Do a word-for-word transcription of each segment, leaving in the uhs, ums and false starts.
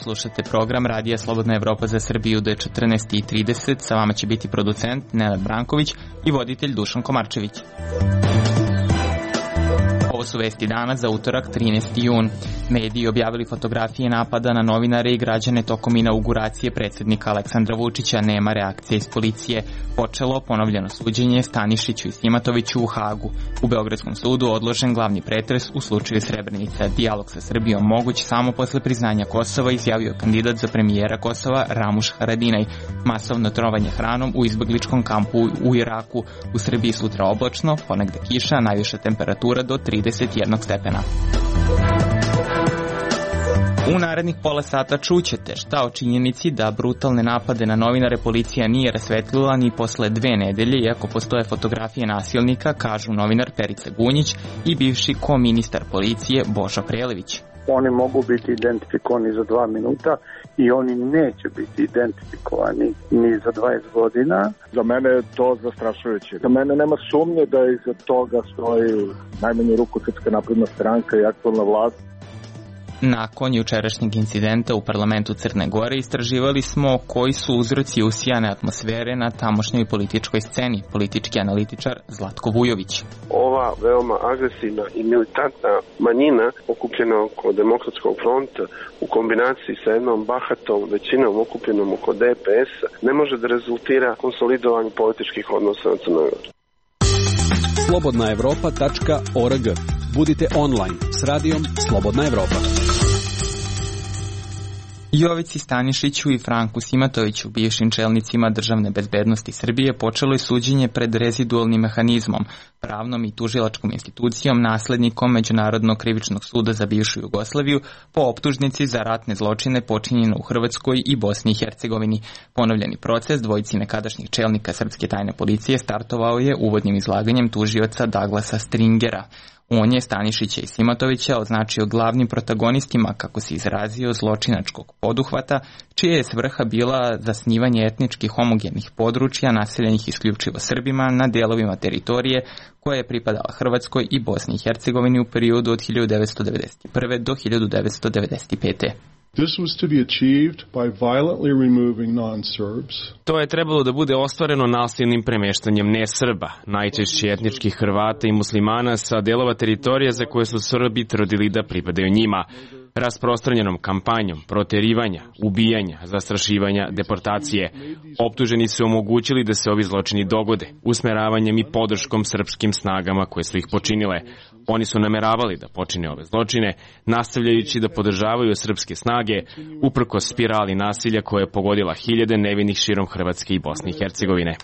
Slušate program Radija Slobodna Evropa za Srbiju do četrnaest i trideset. Sa vama će biti producent Nenad Branković i voditelj Dušan Komarčević. Ovo su vesti dana za utorak trinaesti jun. Mediji objavili fotografije napada na novinare i građane tokom inauguracije predsjednika Aleksandra Vučića. Nema reakcije iz policije. Počelo ponovljeno suđenje Stanišiću i Simatoviću u Hagu. U Beogradskom sudu odložen glavni pretres u slučaju Srebrenica. Dijalog sa Srbijom moguć samo posle priznanja Kosova, izjavio kandidat za premijera Kosova Ramuš Haradinaj. Masovno trovanje hranom u izbegličkom kampu u Iraku. U Srbiji sutra oblačno, ponegde kiša, najviša temperatura do trideset jedan stepena. U narednih pola sata čućete šta o činjenici da brutalne napade na novinare policija nije rasvetlila ni posle dve nedelje, iako postoje fotografije nasilnika, kažu novinar Perica Gunjić i bivši ko-ministar policije Božo Prelević. Oni mogu biti identifikovani za dva minuta i oni neće biti identifikovani ni za dvadeset godina. Za mene je to zastrašujuće. Za mene nema sumnje da iza toga stoji najmanju ruku Srpska napredna stranka i aktualna vlast. Nakon jučerašnjeg incidenta u parlamentu Crne Gore istraživali smo koji su uzroci usijane atmosfere na tamošnjoj političkoj sceni, politički analitičar Zlatko Vujović. Ova veoma agresivna i militantna manjina okupljena oko Demokratskog fronta u kombinaciji sa jednom bahatom većinom okupljenom oko D P S-a ne može da rezultira konsolidovanju političkih odnosa na Crnoj Gori. slobodna evropa tačka org. Budite online s radijom Slobodna Evropa. Jovici Stanišiću i Franku Simatoviću, bivšim čelnicima državne bezbednosti Srbije, počelo je suđenje pred rezidualnim mehanizmom, pravnom i tužilačkom institucijom, naslednikom Međunarodnog krivičnog suda za bivšu Jugoslaviju, po optužnici za ratne zločine počinjene u Hrvatskoj i Bosni i Hercegovini. Ponovljeni proces dvojici nekadašnjih čelnika srpske tajne policije startovao je uvodnim izlaganjem tužioca Douglasa Stringera. On je Stanišića i Simatovića označio glavnim protagonistima, kako se izrazio, zločinačkog poduhvata, čija je svrha bila zasnivanje etnički homogenih područja naseljenih isključivo Srbima na delovima teritorije koja je pripadala Hrvatskoj i Bosni i Hercegovini u periodu od hiljadu devetsto devedeset prve do hiljadu devetsto devedeset pete. This was to be achieved by violently removing non-Serbs. To je trebalo da bude ostvareno nasilnim premeštanjem ne-Srba, najčešće etničkih Hrvata i muslimana sa delova teritorija za koje su Srbi tvrdili da pripadaju njima, rasprostranjenom kampanjom proterivanja, ubijanja, zastrašivanja, deportacije. Optuženi su omogućili da se ovi zločini dogode, usmeravanjem i podrškom srpskim snagama koje su ih počinile. Oni su nameravali da počine ove zločine, nastavljajući da podržavaju srpske snage, uprkos spirali nasilja koja je pogodila hiljade nevinih širom Hrvatske i Bosne i Hercegovine.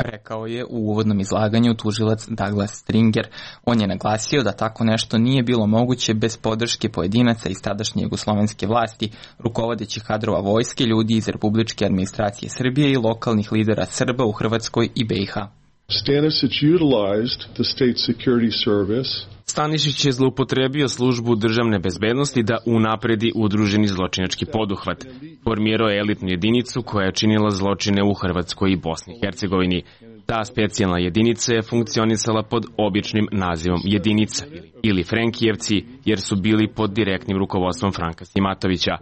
Rekao je u uvodnom izlaganju tužilac Douglas Stringer. On je naglasio da tako nešto nije bilo moguće bez podrške pojedinaca iz tadašnje jugoslovenske vlasti, rukovodećih kadrova vojske, ljudi iz republičke administracije Srbije i lokalnih lidera Srba u Hrvatskoj i B i H. Stanisić utilized the State Security Service. Stanišić je zloupotrebio službu državne bezbednosti da unapredi udruženi zločinački poduhvat. Formirao je elitnu jedinicu koja je činila zločine u Hrvatskoj i Bosni i Hercegovini. Ta specijalna jedinica je funkcionisala pod običnim nazivom jedinica ili Frenkijevci, jer su bili pod direktnim rukovodstvom Franka Simatovića.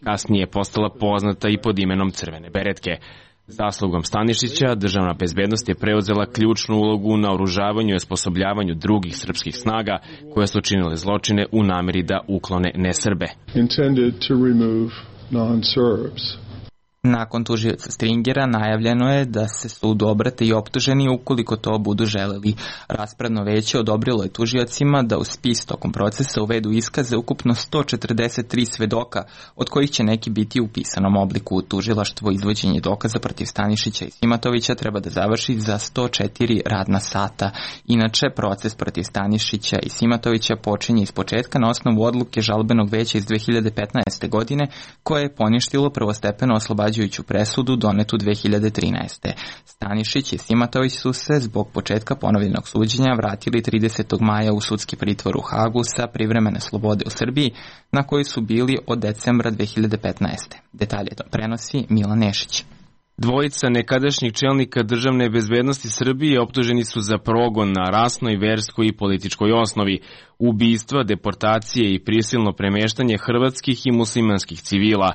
Kasnije je postala poznata i pod imenom Crvene beretke. Zaslugom Stanišića, državna bezbednost je preuzela ključnu ulogu u naoružavanju i osposobljavanju drugih srpskih snaga koje su činile zločine u nameri da uklone ne-Srbe. Nakon tužioca Stringera najavljeno je da se sudu obrate i optuženi ukoliko to budu želeli. Raspravno veće odobrilo je tužiocima da u spis tokom procesa uvedu iskaze ukupno sto četrdeset tri svedoka, od kojih će neki biti u pisanom obliku. Tužilaštvo izvođenje dokaza protiv Stanišića i Simatovića treba da završi za sto četiri radna sata. Inače, proces protiv Stanišića i Simatovića počinje iz početka na osnovu odluke žalbenog veća iz dve hiljade petnaeste. godine, koje je poništilo prvostepeno oslobađajuću presudu donetu dve hiljade trinaeste. Stanišić i Simatović su se zbog početka ponovljenog suđenja vratili tridesetog maja u sudski pritvor u Hagu sa privremene slobode u Srbiji, na koji su bili od decembra dve hiljade petnaeste. Detalje to prenosi Milan Nešić. Dvojica nekadašnjih čelnika državne bezbednosti Srbije optuženi su za progon na rasnoj, verskoj i političkoj osnovi, ubistva, deportacije i prisilno premeštanje hrvatskih i muslimanskih civila,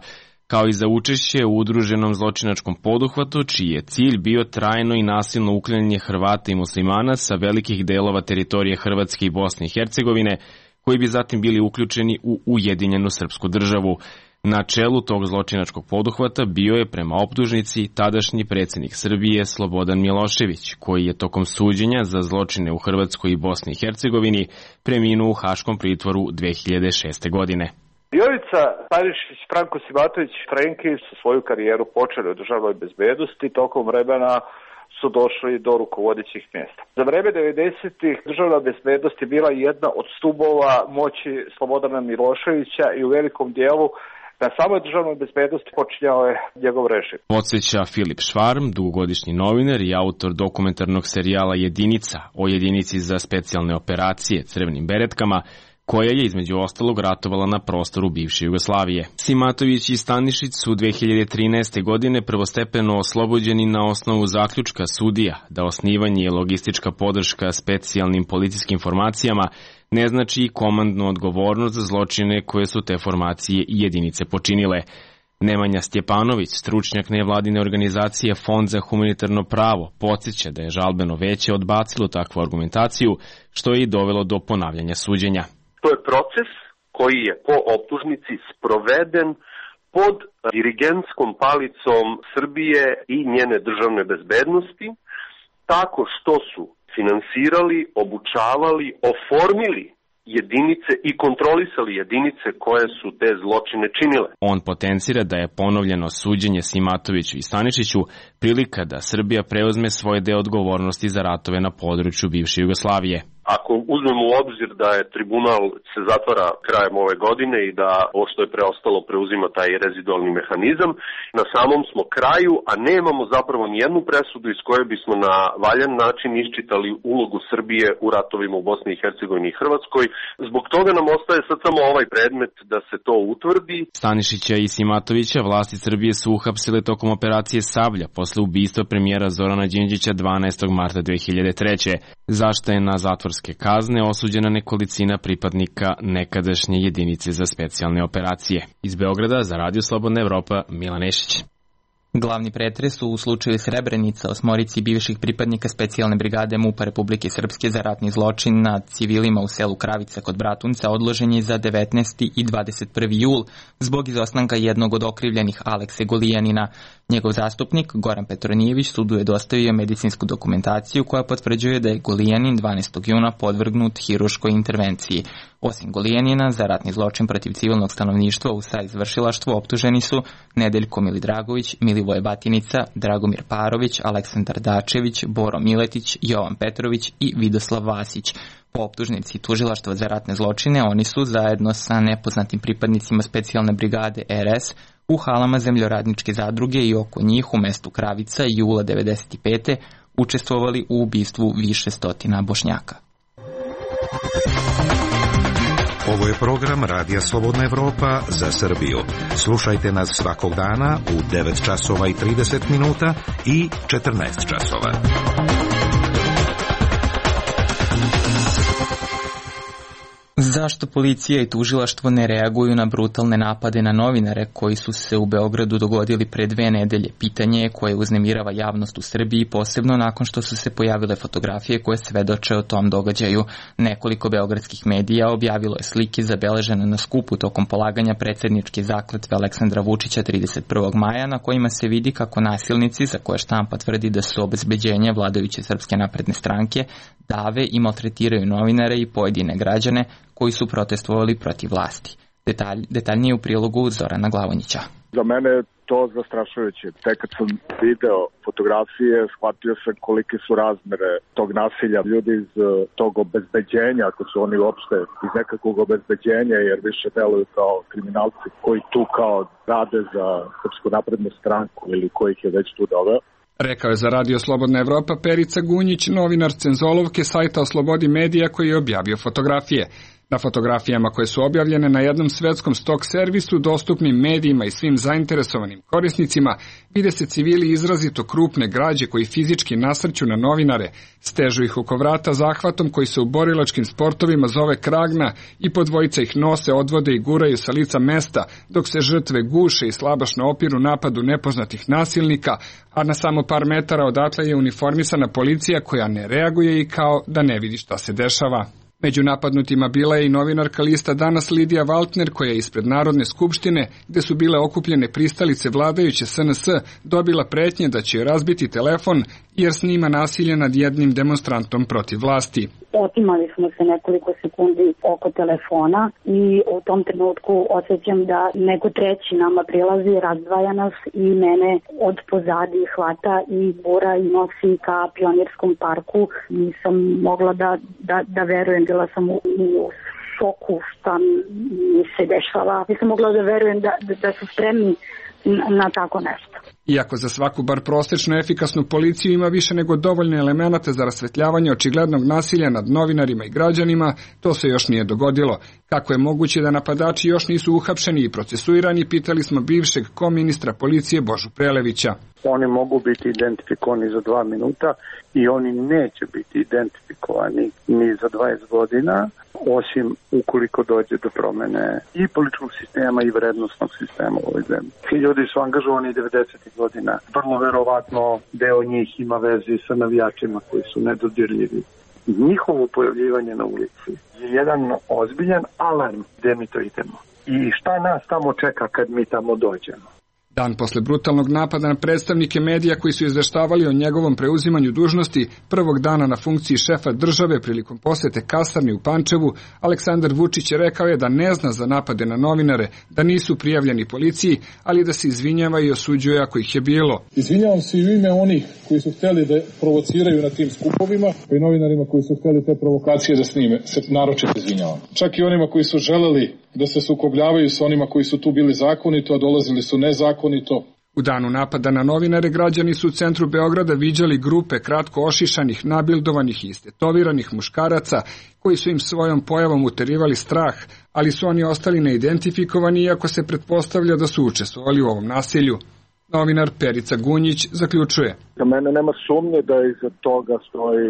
kao i za učešće u udruženom zločinačkom poduhvatu, čiji je cilj bio trajno i nasilno uklanjanje Hrvata i muslimana sa velikih delova teritorije Hrvatske i Bosne i Hercegovine, koji bi zatim bili uključeni u Ujedinjenu srpsku državu. Na čelu tog zločinačkog poduhvata bio je prema optužnici tadašnji predsjednik Srbije Slobodan Milošević, koji je tokom suđenja za zločine u Hrvatskoj i Bosni i Hercegovini preminuo u haškom pritvoru dve hiljade šeste. godine. Jovica Stanišić, Franko Simatović, Frenki su svoju karijeru počeli u državnoj bezbednosti, tokom vremena su došli do rukovodećih mjesta. Za vreme devedesetih državna bezbednost je bila jedna od stubova moći Slobodana Miloševića i u velikom dijelu na samoj državnoj bezbednosti počinjao je njegov režim. Podsjeća Filip Švarm, dugogodišnji novinar i autor dokumentarnog serijala Jedinica o jedinici za specijalne operacije Crvenim beretkama, koja je između ostalog ratovala na prostoru bivše Jugoslavije. Simatović i Stanišić su dve hiljade trinaeste. godine prvostepeno oslobođeni na osnovu zaključka sudija da osnivanje i logistička podrška specijalnim policijskim formacijama ne znači i komandnu odgovornost za zločine koje su te formacije i jedinice počinile. Nemanja Stjepanović, stručnjak nevladine organizacije Fond za humanitarno pravo, podsjeća da je žalbeno veće odbacilo takvu argumentaciju, što je i dovelo do ponavljanja suđenja. To je proces koji je po optužnici sproveden pod dirigentskom palicom Srbije i njene državne bezbednosti, tako što su finansirali, obučavali, oformili jedinice i kontrolisali jedinice koje su te zločine činile. On potencira da je ponovljeno suđenje Simatoviću i Stanišiću prilika da Srbija preuzme svoje deo odgovornosti za ratove na području bivše Jugoslavije. Ako uzmemo u obzir da je tribunal se zatvara krajem ove godine i da ovo što je preostalo preuzima taj rezidualni mehanizam, na samom smo kraju, a nemamo zapravo nijednu presudu iz koje bismo na valjan način iščitali ulogu Srbije u ratovima u Bosni i Hercegovini i Hrvatskoj. Zbog toga nam ostaje sad samo ovaj predmet da se to utvrdi. Stanišića i Simatovića vlasti Srbije su uhapsile tokom operacije Sablja posle ubistva premijera Zorana Đinđića dvanaestog marta dve hiljade treće. Zašto je na zatvorske kazne osuđena nekolicina pripadnika nekadašnje jedinice za specijalne operacije. Iz Beograda za Radio Slobodna Evropa, Milan Ešić. Glavni pretres u slučaju Srebrenica osmorici bivših pripadnika specijalne brigade MUP-a Republike Srpske za ratni zločin nad civilima u selu Kravica kod Bratunca odložen je za devetnaesti i dvadeset prvi jul zbog izostanka jednog od okrivljenih Alekse Golijanina. Njegov zastupnik Goran Petronijević sudu je dostavio medicinsku dokumentaciju koja potvrđuje da je Golijanin dvanaestog juna podvrgnut hiruškoj intervenciji. Osim Golijanina, za ratni zločin protiv civilnog stanovništva u saizvršilaštvu optuženi su Nedeljko Milidragović, Milivoje Batinica, Dragomir Parović, Aleksandar Dačević, Boro Miletić, Jovan Petrović i Vidoslav Vasić. Po optužnici tužilaštva za ratne zločine oni su zajedno sa nepoznatim pripadnicima specijalne brigade R S u halama zemljoradničke zadruge i oko njih u mestu Kravica jula devedeset pete učestvovali u ubistvu više stotina Bošnjaka. Ovo je program Radija Slobodna Evropa za Srbiju. Slušajte nas svakog dana u devet časova i trideset minuta i četrnaest časova. Zašto policija i tužilaštvo ne reaguju na brutalne napade na novinare koji su se u Beogradu dogodili pre dve nedelje? Pitanje je koje uznemirava javnost u Srbiji, posebno nakon što su se pojavile fotografije koje svedoče o tom događaju. Nekoliko beogradskih medija objavilo je slike zabeležene na skupu tokom polaganja predsjedničke zakletve Aleksandra Vučića trideset prvog maja, na kojima se vidi kako nasilnici, za koje štampa tvrdi da su obezbeđenje vladajuće Srpske napredne stranke, dave i maltretiraju novinare i pojedine građane koji su protestovali protiv vlasti. Detalj, detaljnije u prilogu Zorana Glavonjića. Za mene je to zastrašujuće. Tek kad sam video fotografije, shvatio sam kolike su razmere tog nasilja. Ljudi iz tog obezbeđenja, ako su oni uopšte iz nekakvog obezbeđenja, jer više deluju kao kriminalci koji tu kao rade za Srpsku naprednu stranku ili kojih je već tu doveo. Rekao je za Radio Slobodna Evropa Perica Gunjić, novinar Cenzolovke sajta o slobodi medija koji je objavio fotografije. Na fotografijama koje su objavljene na jednom svetskom stok servisu, dostupnim medijima i svim zainteresovanim korisnicima, vide se civili izrazito krupne građe koji fizički nasrću na novinare, stežu ih oko vrata zahvatom koji se u borilačkim sportovima zove kragna i po dvojica ih nose, odvode i guraju sa lica mesta, dok se žrtve guše i slabašno opiru napadu nepoznatih nasilnika, a na samo par metara odatle je uniformisana policija koja ne reaguje i kao da ne vidi šta se dešava. Među napadnutima bila je i novinarka lista Danas Lidija Valtner, koja je ispred Narodne skupštine, gde su bile okupljene pristalice vladajuće S N S, dobila pretnje da će joj razbiti telefon jer snima nasilje nad jednim demonstrantom protiv vlasti. Otimali smo se nekoliko sekundi oko telefona i u tom trenutku osjećam da neko treći nama prilazi, razdvaja nas i mene od pozadi hvata i bura i nosi ka Pionirskom parku. Nisam mogla da, da, da verujem, bila sam u, u šoku šta mi se dešava. Nisam mogla da verujem da, da, da su spremni na, na tako nešto. Iako za svaku bar prosečno efikasnu policiju ima više nego dovoljne elemenata za rasvetljavanje očiglednog nasilja nad novinarima i građanima, to se još nije dogodilo. Kako je moguće da napadači još nisu uhapšeni i procesuirani, pitali smo bivšeg koministra policije Božu Prelevića. Oni mogu biti identifikovani za dva minuta i oni neće biti identifikovani ni za dvadeset godina, osim ukoliko dođe do promene i političkog sistema i vrednostnog sistema u ovoj zemlji. Ti ljudi su angažovani devedesetih godina. Vrlo verovatno deo njih ima veze sa navijačima koji su nedodirljivi. Njihovo pojavljivanje na ulici je jedan ozbiljan alarm gde mi to idemo. I šta nas tamo čeka kad mi tamo dođemo? Dan posle brutalnog napada na predstavnike medija koji su izveštavali o njegovom preuzimanju dužnosti prvog dana na funkciji šefa države prilikom posete kasarni u Pančevu, Aleksandar Vučić je rekao je da ne zna za napade na novinare, da nisu prijavljeni policiji, ali da se izvinjava i osuđuje ako ih je bilo. Izvinjavam se i u ime onih koji su hteli da provociraju na tim skupovima i novinarima koji su hteli te provokacije da snime, se naročito izvinjavam. Čak i onima koji su želeli da se sukobljavaju sa onima koji su tu bili zakonito, a dolazili su nezakonito. U danu napada na novinare građani su u centru Beograda viđali grupe kratko ošišanih, nabildovanih i istetoviranih muškaraca koji su im svojom pojavom uterivali strah, ali su oni ostali neidentifikovani iako se pretpostavlja da su učestvovali u ovom nasilju. Novinar Perica Gunjić zaključuje. Za mene nema sumnje da iza toga stoji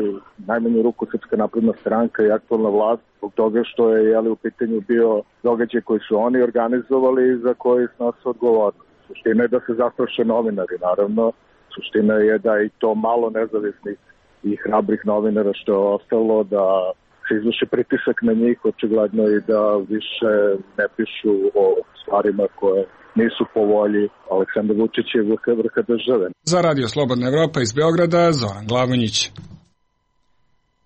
najmanju ruku Srpska napredna stranka i aktualna vlast, zbog toga što je jeli, u pitanju bio događaj koji su oni organizovali i za koji snose odgovornost. Suština je da se zastraše novinari, naravno. Suština je da i to malo nezavisnih i hrabrih novinara što je ostalo, da se izvrši pritisak na njih, očigledno i da više ne pišu o stvarima koje nisu po volji Aleksandra Vučića i vrha države. Za Radio Slobodna Evropa iz Beograda, Zoran Glavonjić.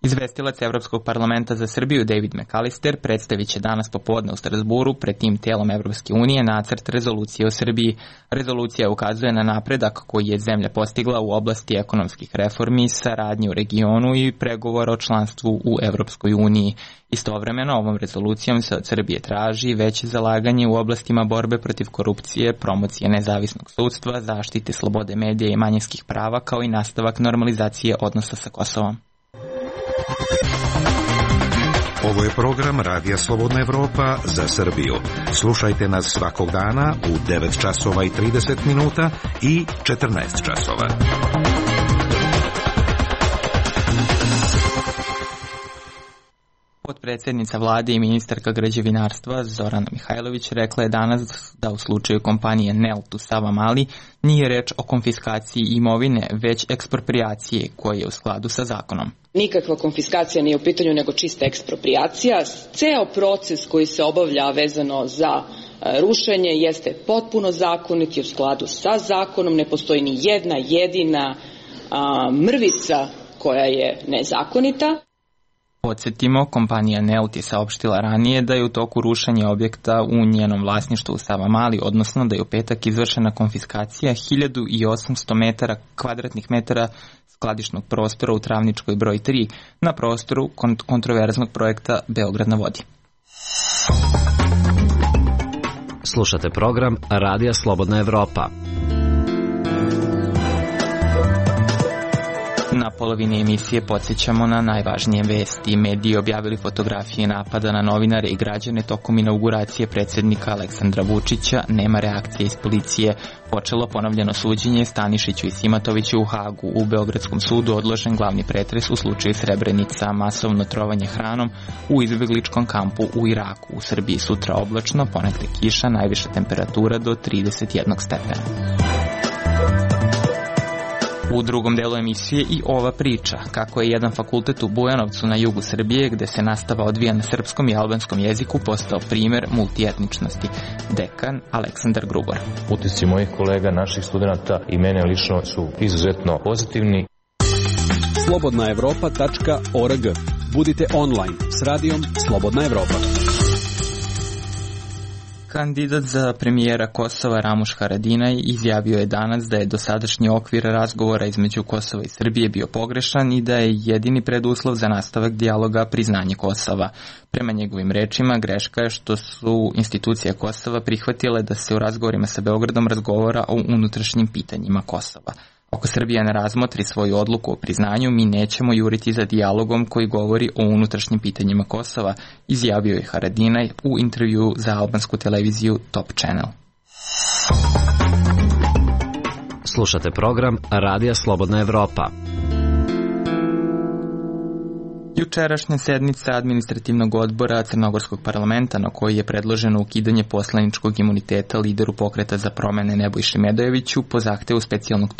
Izvestilac Evropskog parlamenta za Srbiju David McAllister predstavit će danas popodne u Strasburu pred tim telom Evropske unije nacrt rezolucije o Srbiji. Rezolucija ukazuje na napredak koji je zemlja postigla u oblasti ekonomskih reformi, saradnje u regionu i pregovora o članstvu u Evropskoj uniji. Istovremeno, ovom rezolucijom se od Srbije traži veće zalaganje u oblastima borbe protiv korupcije, promocije nezavisnog sudstva, zaštite slobode medija i manjinskih prava, kao i nastavak normalizacije odnosa sa Kosovom. Ovo je program Radija Slobodna Evropa za Srbiju. Slušajte nas svakog dana u devet časova i trideset minuta i četrnaest časova. Potpredsjednica vlade i ministarka građevinarstva Zorana Mihajlović rekla je danas da u slučaju kompanije Nelt u Savamali nije reč o konfiskaciji imovine, već ekspropriacije koja je u skladu sa zakonom. Nikakva konfiskacija nije u pitanju, nego čista ekspropriacija. Ceo proces koji se obavlja vezano za rušenje jeste potpuno zakonit i u skladu sa zakonom. Ne postoji ni jedna jedina a, mrvica koja je nezakonita. Podsjetimo, kompanija Nelt je saopštila ranije da je u toku rušenja objekta u njenom vlasništvu u Savamali, odnosno da je u petak izvršena konfiskacija hiljadu osamsto metara kvadratnih metara skladišnog prostora u Travničkoj broj tri na prostoru kont- kontroverznog projekta Beograd na vodi. Slušate program Radija Slobodna Evropa. Na polovini emisije podsjećamo na najvažnije vesti. Mediji objavili fotografije napada na novinare i građane tokom inauguracije predsjednika Aleksandra Vučića. Nema reakcije iz policije. Počelo ponovljeno suđenje Stanišiću i Simatoviću u Hagu. U Beogradskom sudu odložen glavni pretres u slučaju Srebrenica. Masovno trovanje hranom u izbjegličkom kampu u Iraku. U Srbiji sutra oblačno, ponegde kiša, najviša temperatura do trideset jedan stepena. U drugom delu emisije i ova priča, kako je jedan fakultet u Bujanovcu na jugu Srbije, gde se nastava odvija na srpskom i albanskom jeziku, postao primer multietničnosti. Dekan Aleksandar Grubor. Utisci mojih kolega, naših studenta i mene lično su izuzetno pozitivni. slobodna evropa tačka org. Budite online s radijom Slobodna Evropa. Kandidat za premijera Kosova Ramuš Haradinaj izjavio je danas da je dosadašnji okvir razgovora između Kosova i Srbije bio pogrešan i da je jedini preduslov za nastavak dijaloga priznanje Kosova. Prema njegovim rečima, greška je što su institucije Kosova prihvatile da se u razgovorima sa Beogradom razgovara o unutrašnjim pitanjima Kosova. Ako Srbija ne razmotri svoju odluku o priznanju, mi nećemo juriti za dijalogom koji govori o unutrašnjim pitanjima Kosova, izjavio je Haradinaj u intervju za albansku televiziju Top Channel. Slušate program Radija Slobodna Evropa. Jučerašnja sednica administrativnog odbora Crnogorskog parlamenta na kojoj je predloženo ukidanje poslaničkog imuniteta lideru pokreta za promene Nebojši Medojeviću po zahtevu specijalnog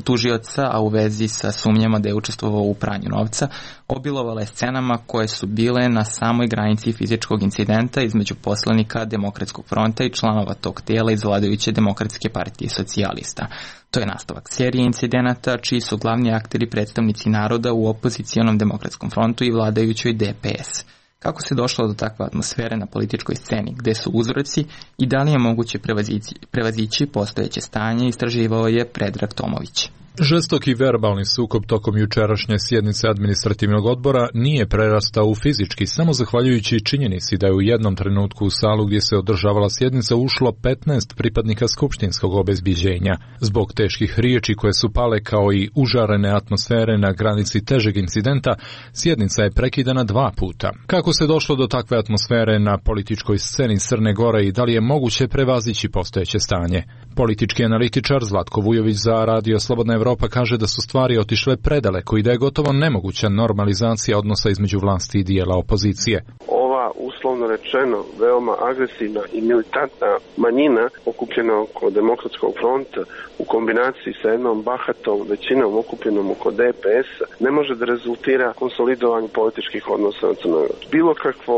tužioca, a u vezi sa sumnjama da je učestvovao u pranju novca, obilovala je scenama koje su bile na samoj granici fizičkog incidenta između poslanika Demokratskog fronta i članova tog tijela iz vladajuće Demokratske partije socijalista. To je nastavak serije incidenata čiji su glavni akteri predstavnici naroda u opozicijonom Demokratskom frontu i vladajućoj D P S. Kako se došlo do takve atmosfere na političkoj sceni, gde su uzroci i da li je moguće prevazići, prevazići postojeće stanje, istraživao je Predrag Tomović. Žestoki verbalni sukob tokom jučerašnje sjednice administrativnog odbora nije prerastao u fizički, samo zahvaljujući činjenici da je u jednom trenutku u salu gdje se održavala sjednica ušlo petnaest pripadnika skupštinskog obezbiđenja. Zbog teških riječi koje su pale kao i užarene atmosfere na granici težeg incidenta, sjednica je prekidana dva puta. Kako se došlo do takve atmosfere na političkoj sceni Crne Gore i da li je moguće prevazići postojeće stanje? Politički analitičar Zlatko Vujović za Radio Slobodna Evropa kaže da su stvari otišle predaleko i da je gotovo nemoguća normalizacija odnosa između vlasti i dijela opozicije. Ova, uslovno rečeno, veoma agresivna i militantna manjina okupljena oko Demokratskog fronta u kombinaciji sa jednom bahatom većinom okupljenom oko D P S ne može da rezultira konsolidovanju političkih odnosa na Crnoj Gori. Bilo kakvo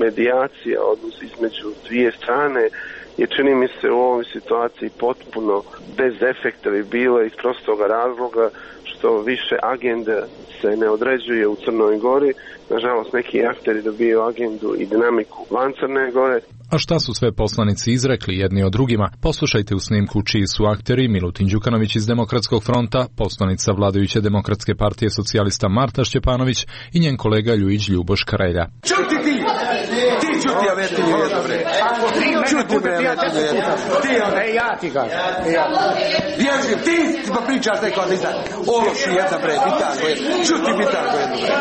medijacija, odnos između dvije strane, je čini mi se u ovoj situaciji potpuno bez efekta bi bilo iz prostoga razloga što više agenda se ne određuje u Crnoj Gori. Nažalost, neki akteri dobiju agendu i dinamiku van Crne Gore. A šta su sve poslanici izrekli jedni od drugima? Poslušajte u snimku čiji su akteri Milutin Đukanović iz Demokratskog fronta, poslanica vladajuće Demokratske partije socijalista Marta Šćepanović i njen kolega Ljujić Ljuboš Karelja. Čuti ti! Ti čuti, a veti mi jedno bre. Čuti bre, a veti mi jedno. Ti, ne, ja ti ga. Bježi, ti ti pa pričaš neko da izda. Ološi jedna bre, bitango jedno. Čuti bitango jedno bre.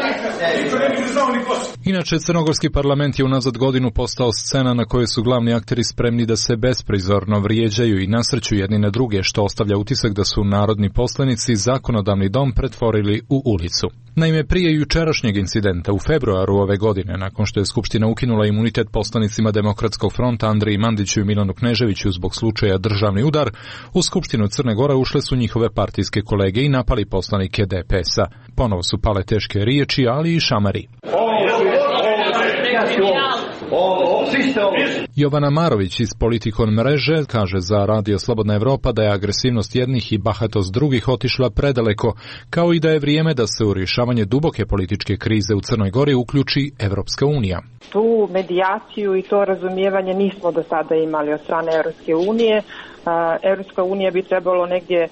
Inače, crnogorski parlament je unazad godinu postao scena na kojoj su glavni akteri spremni da se besprizorno vrijeđaju i nasrću jedni na druge, što ostavlja utisak da su narodni poslanici zakonodavni dom pretvorili u ulicu. Naime, prije jučerašnjeg incidenta u februaru ove godine, nakon što je Skupština ukinula imunitet poslanicima Demokratskog fronta Andriji Mandiću i Milanu Kneževiću zbog slučaja državni udar, u Skupštinu Crne Gore ušle su njihove partijske kolege i napali poslanike D P S-a. Ponovo su pale teške riječi, ali i šamari. Jovana Marović iz Politikon mreže kaže za Radio Slobodna Evropa da je agresivnost jednih i bahatost drugih otišla predaleko, kao i da je vrijeme da se u rješavanje duboke političke krize u Crnoj Gori uključi Evropska unija. Tu medijaciju i to razumijevanje nismo do sada imali od strane Evropske unije. Evropska unija bi trebalo negdje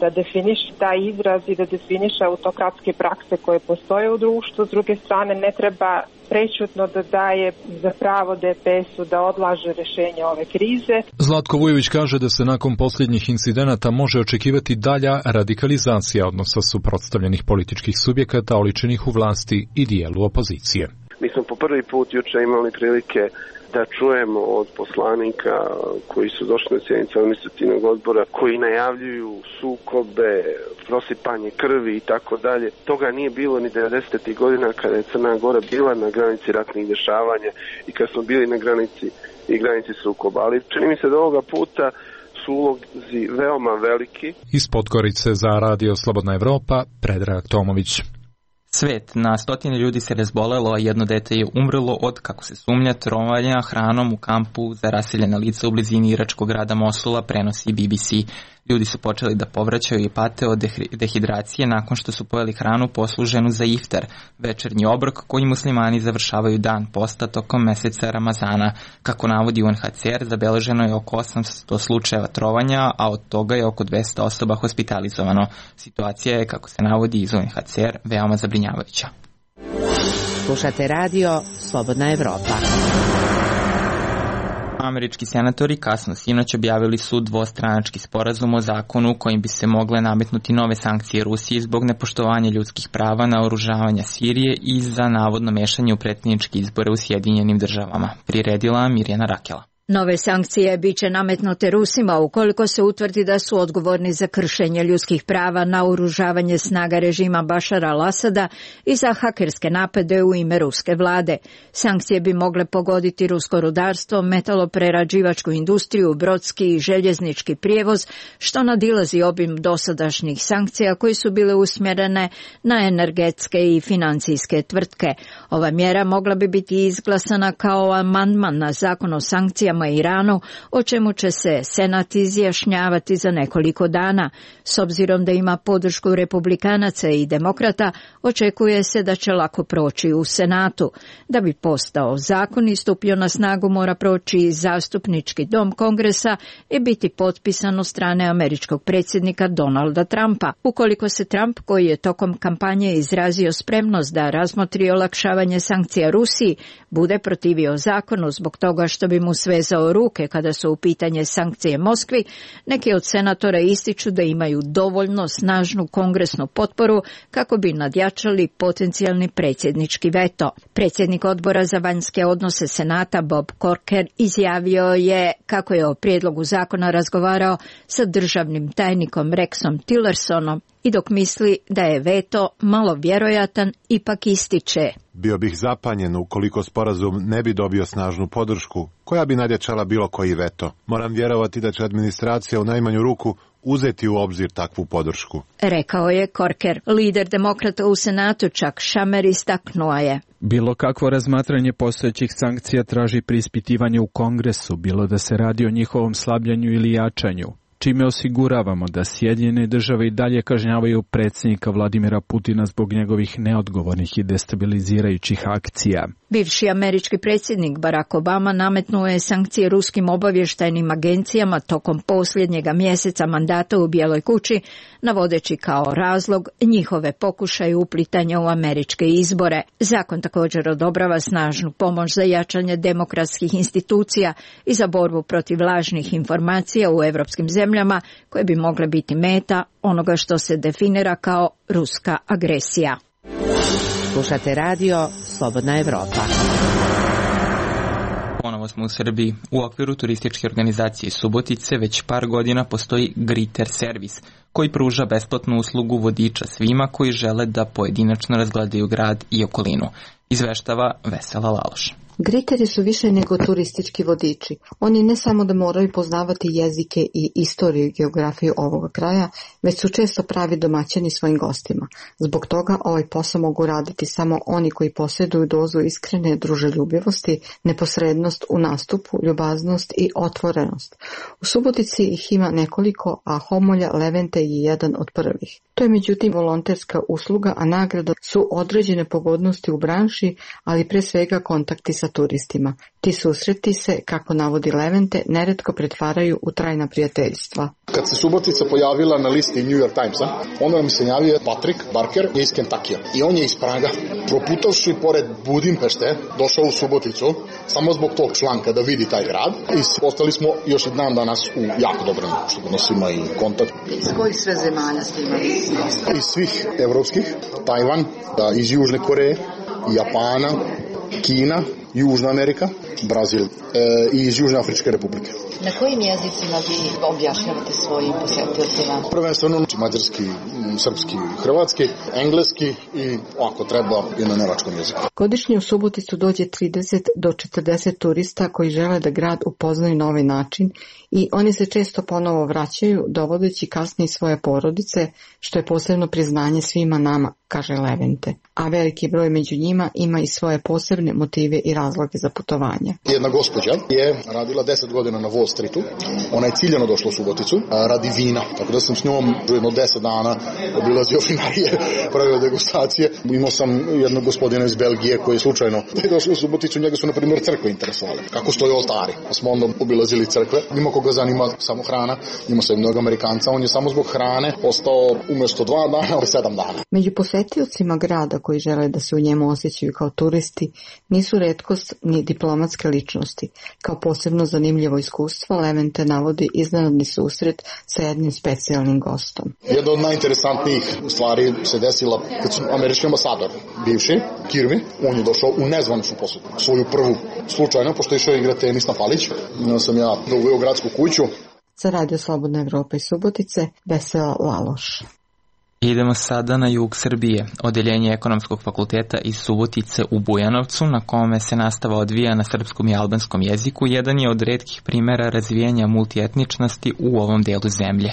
da definiše taj izraz i da definiše autokratske prakse koje postoje u društvu. S druge strane, ne treba prečutno da daje za pravo D P S-u da odlaže rešenje ove krize. Zlatko Vujović kaže da se nakon posljednjih incidenata može očekivati dalja radikalizacija odnosa suprotstavljenih političkih subjekata oličenih u vlasti i dijelu opozicije. Mi smo po prvi put juče imali prilike da čujemo od poslanika koji su došli na sjednicu administrativnog odbora, koji najavljuju sukobe, prosipanje krvi i tako dalje. Toga nije bilo ni devedesetih godina kada je Crna Gora bila na granici ratnih dešavanja i kad smo bili na granici i granici sukoba. Ali čini mi se da ovoga puta su ulozi veoma veliki. Iz Podgorice za Radio Slobodna Evropa, Predrag Tomović. Svet, na stotine ljudi se razbolelo, a jedno dete je umrlo od, kako se sumnja, trovanja hranom u kampu za raseljena lica u blizini iračkog grada Mosula, prenosi B B C. Ljudi su počeli da povraćaju i pate od dehidracije nakon što su pojeli hranu posluženu za iftar, večernji obrok koji muslimani završavaju dan posta tokom meseca Ramazana. Kako navodi U N H C R, zabeleženo je oko osamsto slučajeva trovanja, a od toga je oko dvesta osoba hospitalizovano. Situacija je, kako se navodi iz U N H C R, veoma zabrinjavajuća. Slušate radio Slobodna Evropa. Američki senatori kasno sinoć objavili su dvostranački sporazum o zakonu kojim bi se mogle nametnuti nove sankcije Rusiji zbog nepoštovanja ljudskih prava, naoružavanja Sirije i za navodno mešanje u predsjedničke izbore u Sjedinjenim državama. Priredila Mirjana Rakela. Nove sankcije biće nametnute Rusima ukoliko se utvrdi da su odgovorni za kršenje ljudskih prava, naoružavanje snaga režima Bašara al-Asada i za hakerske napade u ime ruske vlade. Sankcije bi mogle pogoditi rusko rudarstvo, metaloprerađivačku industriju, brodski i željeznički prijevoz, što nadilazi obim dosadašnjih sankcija koji su bile usmjerene na energetske i financijske tvrtke. Ova mjera mogla bi biti izglasana kao amandman na zakon o sankcijama Iranu, o čemu će se Senat izjašnjavati za nekoliko dana. S obzirom da ima podršku republikanaca i demokrata, očekuje se da će lako proći u Senatu. Da bi postao zakon i stupio na snagu, mora proći zastupnički dom Kongresa i biti potpisan od strane američkog predsjednika Donalda Trumpa. Ukoliko se Trump, koji je tokom kampanje izrazio spremnost da razmotri olakšavanje sankcija Rusiji, bude protivio zakonu zbog toga što bi mu svezao ruke kada su u pitanje sankcije Moskvi, neki od senatora ističu da imaju dovoljno snažnu kongresnu potporu kako bi nadjačali potencijalni predsjednički veto. Predsjednik odbora za vanjske odnose Senata Bob Corker izjavio je kako je o prijedlogu zakona razgovarao sa državnim tajnikom Rexom Tillersonom i dok misli da je veto malo vjerojatan, ipak ističe: Bio bih zapanjen ukoliko sporazum ne bi dobio snažnu podršku, koja bi nadjačala bilo koji veto. Moram vjerovati da će administracija u najmanju ruku uzeti u obzir takvu podršku, rekao je Corker. Lider demokrata u Senatu Chuck Schumer istaknuo je: bilo kakvo razmatranje postojećih sankcija traži preispitivanje u Kongresu, bilo da se radi o njihovom slabljenju ili jačanju, čime osiguravamo da Sjedinjene države i dalje kažnjavaju predsjednika Vladimira Putina zbog njegovih neodgovornih i destabilizirajućih akcija. Bivši američki predsjednik Barack Obama nametnuo je sankcije ruskim obavještajnim agencijama tokom posljednjega mjeseca mandata u Bijeloj kući, navodeći kao razlog njihove pokušaje uplitanja u američke izbore. Zakon također odobrava snažnu pomoć za jačanje demokratskih institucija i za borbu protiv lažnih informacija u evropskim zemljama koje bi mogle biti meta onoga što se definira kao ruska agresija. Slušate radio Slobodna Evropa. Ponovo smo u Srbiji. U okviru turističke organizacije Subotice već par godina postoji Griter servis, koji pruža besplatnu uslugu vodiča svima koji žele da pojedinačno razgledaju grad i okolinu. Izveštava Vesela Laloš. Griteri su više nego turistički vodiči. Oni ne samo da moraju poznavati jezike i istoriju i geografiju ovoga kraja, već su često pravi domaćini svojim gostima. Zbog toga ovaj posao mogu raditi samo oni koji posjeduju dozu iskrene druželjubivosti, neposrednost u nastupu, ljubaznost i otvorenost. U Subotici ih ima nekoliko, a Homolja Levente je jedan od prvih. To je međutim volonterska usluga, a nagrada su određene pogodnosti u branši, ali pre svega kontakti sa turistima. Ti susreti se, kako navodi Levente, neretko pretvaraju u trajna prijateljstva. Kad se Subotica pojavila na listi New York Timesa, onda nam se javio Patrick Barker iz Kentakija. I on je iz Praga, proputavši pored Budimpešte, došao u Suboticu, samo zbog tog članka da vidi taj grad. I ostali smo još i dan danas u jako dobrom odnosima i kontakt. Iz kojih sve zemalja ste imali? Iz svih evropskih, Tajvan, iz Južne Koreje, Japana, Kina, Južna Amerika, Brazil e, i iz Južne Afričke republike. Na kojim jezicima vi objašnjavate svojim posetiocima? Prvenstveno mađarski, srpski, hrvatski, engleski i ako treba i na nemačkom jeziku. Godišnje u Suboticu dođe trideset do četrdeset turista koji žele da grad upoznaju na ovaj način i oni se često ponovo vraćaju, dovodeći kasnije svoje porodice, što je posebno priznanje svima nama, kaže Levente. A veliki broj među njima ima i svoje posebne motive i razloge za putovanje. Jedna gospođa je radila deset godina na Wall Streetu, ona je ciljano došla u Suboticu radi vina, tako da sam s njom jedno deset dana obilazio vinarije, pravio degustacije. Imao sam jednog gospodina iz Belgije koji je slučajno došao u Suboticu, njega su na primjer crkve interesovale, kako stoje oltari, pa smo onda obilazili crkve. Ima koga zanima samo hrana, ima se mnogo Amerikanca, on je samo zbog hrane ostao umjesto dva dana, sedam dana. Među posetiocima grada koji žele da se u njemu osjećaju kao turisti nisu retkost ni diplomatske ličnosti. Kao posebno zanimljivo iskustvo Levente navodi iznenadni susret sa jednim specijalnim gostom. Jedna od najinteresantnijih stvari se desila kad su američki ambasador, bivši, Kirby, on je došao u nezvaničnu posetu. Svoju prvu slučajno, pošto je išao igrati tenis na Palić, sam ja doveo gradsku kuću. Za Radio Slobodna Evropa i Subotice, Vesela Laloš. Idemo sada na jug Srbije. Odeljenje Ekonomskog fakulteta iz Subotice u Bujanovcu, na kome se nastava odvija na srpskom i albanskom jeziku, jedan je od retkih primera razvijanja multietničnosti u ovom delu zemlje.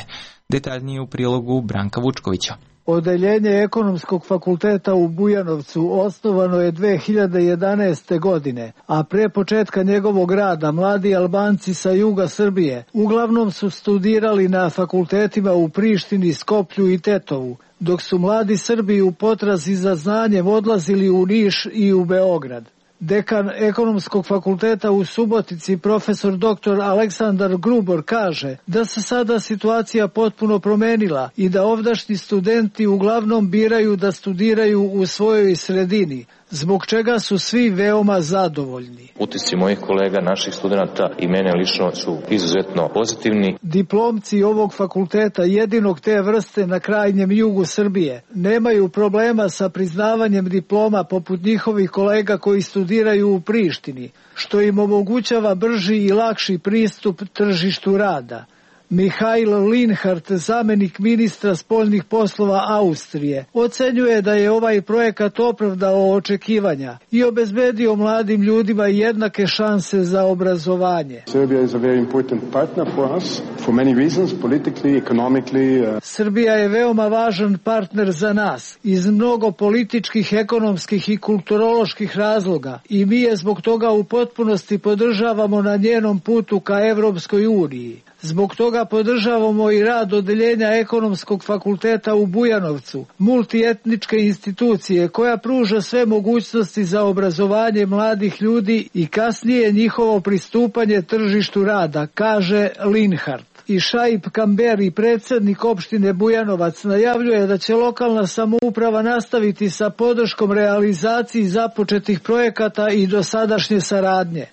Detaljnije u prilogu Branka Vučkovića. Odeljenje Ekonomskog fakulteta u Bujanovcu osnovano je dve hiljade jedanaeste. godine, a pre početka njegovog rada mladi Albanci sa juga Srbije uglavnom su studirali na fakultetima u Prištini, Skoplju i Tetovu, dok su mladi Srbi u potrazi za znanjem odlazili u Niš i u Beograd. Dekan Ekonomskog fakulteta u Subotici, profesor doktor Aleksandar Grubor, kaže da se sada situacija potpuno promenila i da ovdašnji studenti uglavnom biraju da studiraju u svojoj sredini, zbog čega su svi veoma zadovoljni. Utisci mojih kolega, naših studenta i mene lično su izuzetno pozitivni. Diplomci ovog fakulteta, jedinog te vrste na krajnjem jugu Srbije, nemaju problema sa priznavanjem diploma poput njihovih kolega koji studiraju u Prištini, što im omogućava brži i lakši pristup tržištu rada. Mihail Linhart, zamenik ministra spoljnih poslova Austrije, ocenjuje da je ovaj projekat opravdao očekivanja i obezbedio mladim ljudima jednake šanse za obrazovanje. Serbia is a very important partner for us for many reasons, politically, economically. Uh... Srbija je veoma važan partner za nas iz mnogo političkih, ekonomskih i kulturoloških razloga i mi je zbog toga u potpunosti podržavamo na njenom putu ka Evropskoj uniji. Zbog toga podržavamo i rad Odeljenja Ekonomskog fakulteta u Bujanovcu, multietničke institucije koja pruža sve mogućnosti za obrazovanje mladih ljudi i kasnije njihovo pristupanje tržištu rada, kaže Linhart. I Šaip Kamberi, predsjednik opštine Bujanovac, najavljuje da će lokalna samouprava nastaviti sa podrškom realizaciji započetih projekata i dosadašnje saradnje.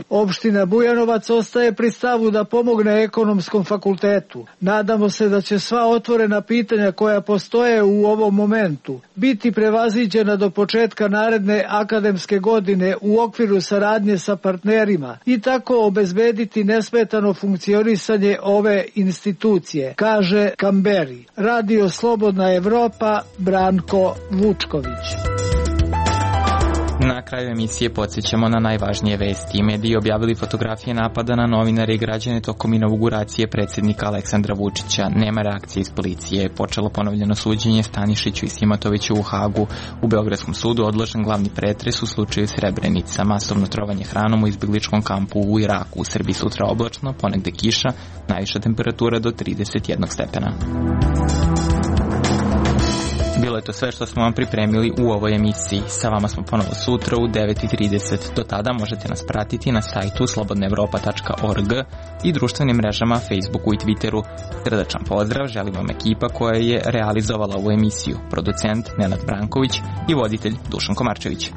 Opština Bujanovac ostaje pri stavu da pomogne Ekonomskom fakultetu. Nadamo se da će sva otvorena pitanja koja postoje u ovom momentu biti prevaziđena do početka naredne akademske godine u okviru saradnje sa partnerima i tako obezbediti nesmetano funkcionisanje ove institucije, kaže Kamberi. Radio Slobodna Evropa, Branko Vučković. Na kraju emisije podsjećamo na najvažnije vesti. Mediji objavili fotografije napada na novinare i građane tokom inauguracije predsjednika Aleksandra Vučića. Nema reakcije iz policije. Počelo ponovljeno suđenje Stanišiću i Simatoviću u Hagu. U Beogradskom sudu odložen glavni pretres u slučaju Srebrenica. Masovno trovanje hranom u izbjegličkom kampu u Iraku. U Srbiji sutra oblačno, ponegde kiša, najviša temperatura do trideset jedan stepena. Bilo je to sve što smo vam pripremili u ovoj emisiji. Sa vama smo ponovo sutra u devet i trideset. Do tada možete nas pratiti na sajtu slobodna evropa tačka org i društvenim mrežama Facebooku i Twitteru. Srdačan pozdrav želim vam ekipa koja je realizovala ovu emisiju. Producent Nenad Branković i voditelj Dušan Komarčević.